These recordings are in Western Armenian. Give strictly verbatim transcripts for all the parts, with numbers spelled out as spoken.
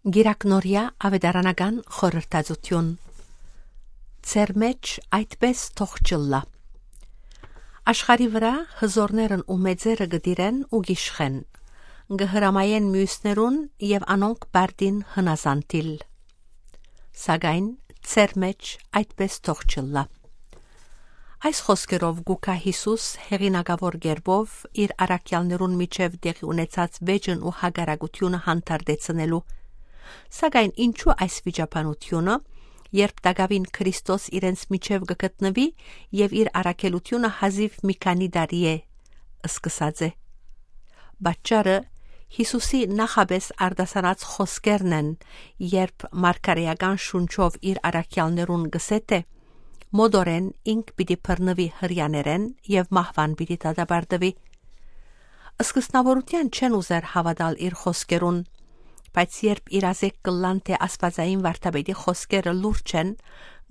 Կիրակնորեայ աւետարանական խորհրդածութիւն։ Ձեր մէջ այդպէս թող չըլլայ։ Աշխարհի վրայ հզօրներն ու մեծերը կը տիրեն ու կ'իշխեն, կը հրամայեն միւսներուն եւ անոնք պարտին հնազանդիլ։ Սակայն ձեր մէջ այդպէս թող չըլլայ։ Այս խօսքերով կու գայ Յիսուս հեղինակաւոր կերպով իր առաքեալներուն միջեւ տեղի ունեցած վէճն ու հակառակութիւնը հանդարտեցնելու։ Սակայն ինչո՞ւ այս վիճաբանութիւնը, երբ տակաւին Քրիստոս իրենց միջեւ կը գտնուի եւ իր առաքելութիւնը հազիւ մի քանի տարի է սկսած է։ Պատճառը Յիսուսի նախապէս արտասանած խօսքերն են, երբ մարգարէական շունչով իր առաքեալներուն կ'ըսէ, թէ մօտորէն ինք պիտի բռնուի Հրեաներէն եւ մահուան պիտի դատապարտուի։ Սկզբնաւորութեան չեն ուզեր հաւատալ իր խօսքերուն, բայց երբ իրազեկ կ'ըլլան թէ Աստուածային Վարդապետի խօսքերը լուրջ են,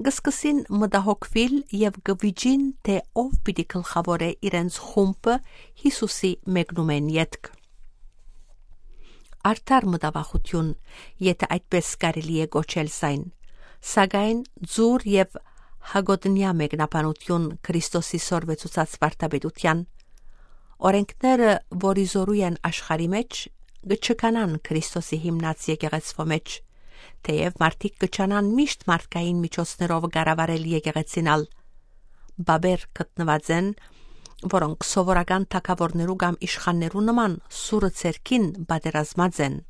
կը սկսին մտահոգուիլ եւ կը վիճին թէ ով պիտի գլխաւորէ իրենց խումբը Յիսուսի մեկնումէն ետք։ Արդար մտավախութիւն, եթէ այդպէս կարելի է կոչել զայն, սակայն ձուռ եւ հակոտնեայ մեկնաբանութիւն Քրիստոսի սորվեցուցած վարդապետութեան։ Օրէնքները, որ ի զօրու են աշխարհի մէջ, կը չքանան Քրիստոսի հիմնած եկեղեցւոյ մէջ, թէեւ մարդիկ կը չանան միշտ մարդկային միջոցներով կառավարել եկեղեցին ալ։ Բաբեր գտնուած են, որոնք սովորական թագաւորներու կամ իշխաններու նման սուրը ձեռքին պատերազմած են։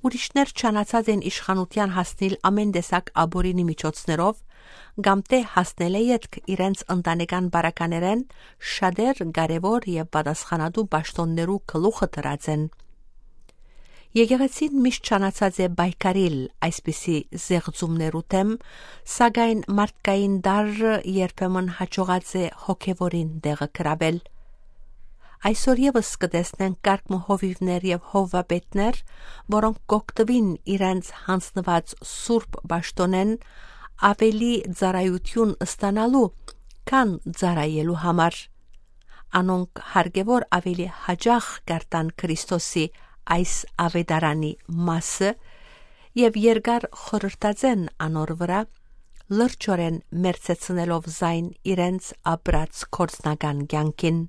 Ուրիշներ չանացած են իշխանութեան հասնիլ ամէն տեսակ ապօրինի միջոցներով, կամ թէ հասնելէ ետք իրենց ընտանեկան պարագաներէն շատեր կարեւոր եւ պատասխանատու պաշտօններու գլուխը դրած են։ Եկեղեցին միշտ չանացած է պայքարիլ այսպիսի զեղծումներու դէմ, սակայն մարդկային տարրը երբեմն յաջողած է հոգեւորին տեղը գրաւել։ Այսօր եւս կը տեսնենք կարգ մը հովիւներ եւ հովուապետներ, որոնք կ'օգտուին իրենց յանձնուած սուրբ պաշտօնէն աւելի ծառայութիւն ստանալու, քան ծառայելու համար։ Անոնք հարկեւոր աւելի յաճախ կ'արտան Քրիստոսի այս աւետարանի մասը եւ երկար խորհրդած են անոր վրայ, լրջօրէն մերձեցնելով զայն իրենց ապրած գործնական կեանքին։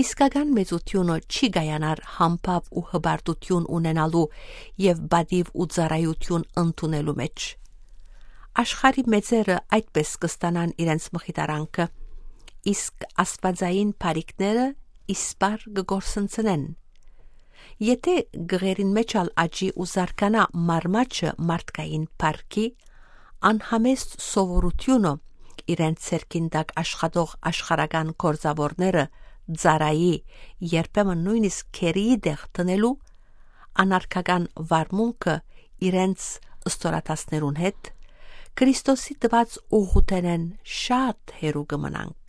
Իսկական մեծութիւնը չի կայանար համբաւ ու հպարտութիւն ունենալու եւ պատիւ ու ծառայութիւն ընդունելու մէջ։ Աշխարհի մեծերը այդպէս կը ստանան իրենց մխիթարանքը, իսկ աստուածային բարիքները իսպառ կը կորսնցնեն։ Եթէ գղերին մէջ ալ աճի ու զարգանայ մարմաճը մարդկային փառքի, անհամեստ սովորութիւնը, իրենց ձեռքին տակ աշխատող աշխարհական գործաւորները ծառայի, երբեմն նոյնիսկ գերիի տեղ դնելու, անարգական վարմունքը իրենց ստորադասներուն հետ, Քրիստոսի տուած ուղղութենէն շատ հեռու կը մնանք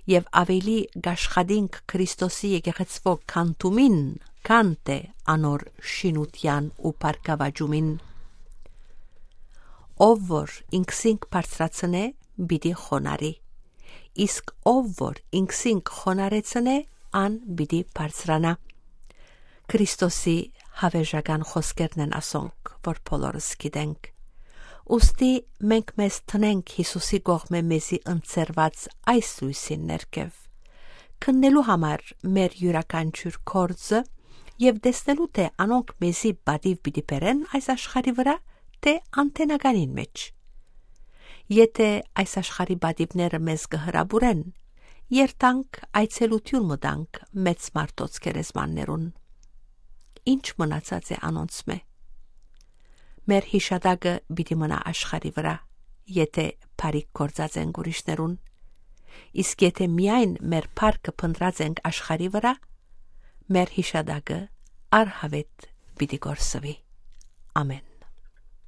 եւ աւելի կ'աշխատինք Քրիստոսի եկեղեցւոյ քանդումին, քան թէ անոր շինութեան ու բարգաւաճումին։ Ով որ ինքզինք բարձրացնէ, պիտի խոնարհի, իսկ ով որ ինքզինք խոնարհեցնէ, ան պիտի բարձրանայ։ Քրիստոսի յաւերժական խօսքերն են ասոնք, որ բոլորս գիտենք։ Ուստի մենք մեզ դնենք Յիսուսի կողմէ մեզի ընձեռուած այս լոյսին ներքեւ, քննելու համար մեր իւրաքանչիւր գործը եւ տեսնելու, թէ անոնք մեզի պատիւ պիտի բերեն այս աշխարհի վրայ, թէ անթենականին մէջ։ Եթէ այս աշխարհի պատիւները մեզ կը հրապուրեն, երթանք այցելութիւն մը տանք մեծ մարդոց գերեզմաններուն։ Ի՞նչ մնացած է անոնցմէ։ Մեր յիշատակը պիտի մնայ աշխարհի վրայ, եթէ բարիք գործած ենք ուրիշներուն։ Իսկ եթէ միայն մեր փառքը փնտռած ենք աշխարհի վրայ, մեր յիշատակը արհաւէտ պիտի կորսուի։ Ամէն։